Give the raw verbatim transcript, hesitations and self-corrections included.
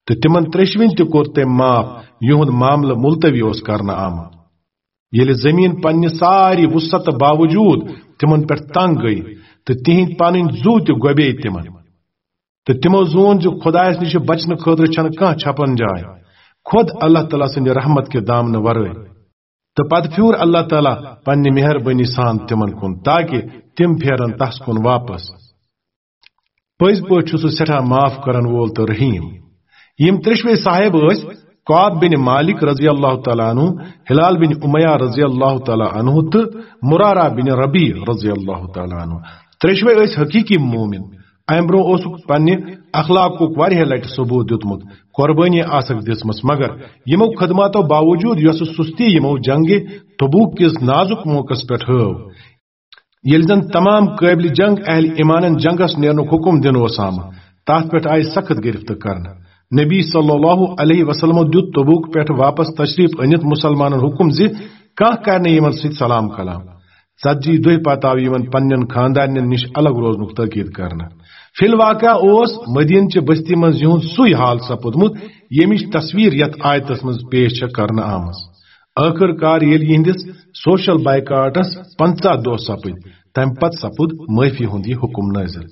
تہٕ تِمن ترٛیٚشوٕنۍ تہِ کوٚر تٔمۍ معاف، یِہُنٛد معاملہٕ ملتوی اوس کرنہٕ آمُت۔ ییٚلہِ زٔمیٖن پننہِ سارِ وسعت باوجود تِمن پٮ۪ٹھ تنگ گٔیہِ تہٕ تِہنٛدۍ پنٕنۍ زُو تہِ گۄبے تِمن، تہٕ تِمو زون زِ خۄدایس نِش بچنہٕ خٲطرٕ چھنہٕ کانٛہہ چھپن جاے خۄد اللہ تعالیٰ سٕنٛدِ رحمت کہِ دامنہٕ ورٲے۔ تہٕ پتہٕ پھیوٗر اللہ تعالیٰ پننہِ مہربٲنی سان تِمن کُن، تاکہ تِم پھیرن تس کُن واپس۔ پٔزۍ پٲٹھۍ چھُ سُہ سٮ۪ٹھاہ معاف کرن وول تہٕ رحیٖم۔ یِم ترٛیٚشوَے صاحب ٲسۍ، کعب بن مالک رضی اللہ تعالیٰ عنہ، ہلال بن امیہ رضی اللہ تعالیٰ عنہ تہٕ مرارہ بن ربیع رضی اللہ تعالیٰ عنہ۔ ترٛیٚشوَے ٲسۍ حقیٖقی مومن۔ امہِ برونٛہہ اوسُکھ پننہِ اخلاقُک واریاہ لٹہِ ثبوت دیُتمُت، قربٲنی آسکھ دِژمٕژ، مگر یِمو خدماتو باوجود یۄسہٕ سُستی یِمو جنگِ تبوک کِس نازُک موقعس پٮ۪ٹھ ہٲو، ییٚلہِ زن تمام قٲبلِ جنگ اہلِ ایمانن جنگس نیرنُک حکم دِنہٕ اوس آمُت، تتھ پٮ۪ٹھ آیہِ سخت گرفت کرنہٕ۔ نبی صلی اللہ علیہ وسلمو دیُت تبوک پٮ۪ٹھ واپس تشریف أنِتھ مسلمانن حکم زِ کانٛہہ کرِ نہٕ یِمن سۭتۍ سلام کلام۔ ژتجی دۄہہِ پتہٕ آو یِمن پننٮ۪ن خاندارنٮ۪ن نِش الگ روزنُک تٲکید کرنہٕ۔ فی الواقع اوس مدینہٕ چہِ بستی منٛز یِہُنٛد سُے حال سپُدمُت، ییٚمِچ تصویر یتھ آیتس منٛز پیش چھےٚ کرنہٕ آمٕژ۔ ٲخٕر کار ییٚلہِ یِہنٛدِس سوشل بائیکاٹس پنٛژاہ دۄہ سپٕدۍ، تمہِ پتہٕ سپُد معٲفی ہُنٛد یہِ حکم نٲزِل۔